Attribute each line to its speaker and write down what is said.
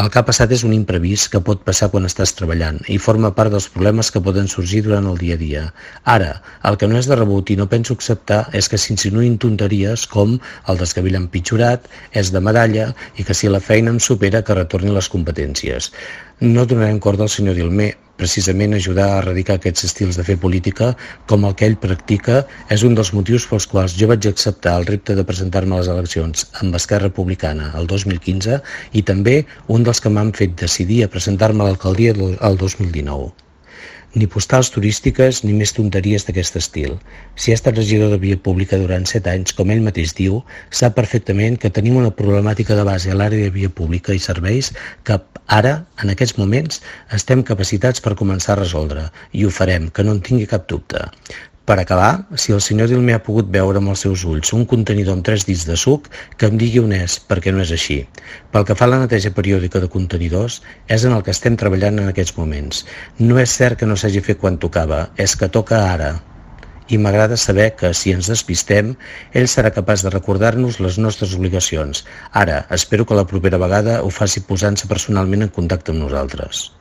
Speaker 1: El que ha passat és un imprevist que pot passar quan estàs treballant i forma part dels problemes que poden sorgir durant el dia a dia. Ara, el que no és de rebut i no penso acceptar és que s'insinuïn tonteries com el desgavell empitjorat, és de medalla i que si la feina em supera que retorni les competències. No donarem corda al senyor Dilmé. Precisament ajudar a erradicar aquests estils de fer política com el que ell practica és un dels motius pels quals jo vaig acceptar el repte de presentar-me a les eleccions amb Esquerra Republicana el 2015 i també un dels que m'han fet decidir a presentar-me a l'alcaldia el 2019. Ni postals turístiques ni més tonteries d'aquest estil. Si ha estat regidor de via pública durant 7 anys, com ell mateix diu, sap perfectament que tenim una problemàtica de base a l'àrea de via pública i serveis que ara, en aquests moments, estem capacitats per començar a resoldre i ho farem, que no en tingui cap dubte. Per acabar, si el senyor Dilmé ha pogut veure amb els seus ulls un contenidor amb 3 dits de suc, que em digui on és, perquè no és així. Pel que fa a la neteja periòdica de contenidors, és en el que estem treballant en aquests moments. No és cert que no s'hagi fet quan tocava, és que toca ara. I m'agrada saber que, si ens despistem, ell serà capaç de recordar-nos les nostres obligacions. Ara, espero que la propera vegada ho faci posant-se personalment en contacte amb nosaltres.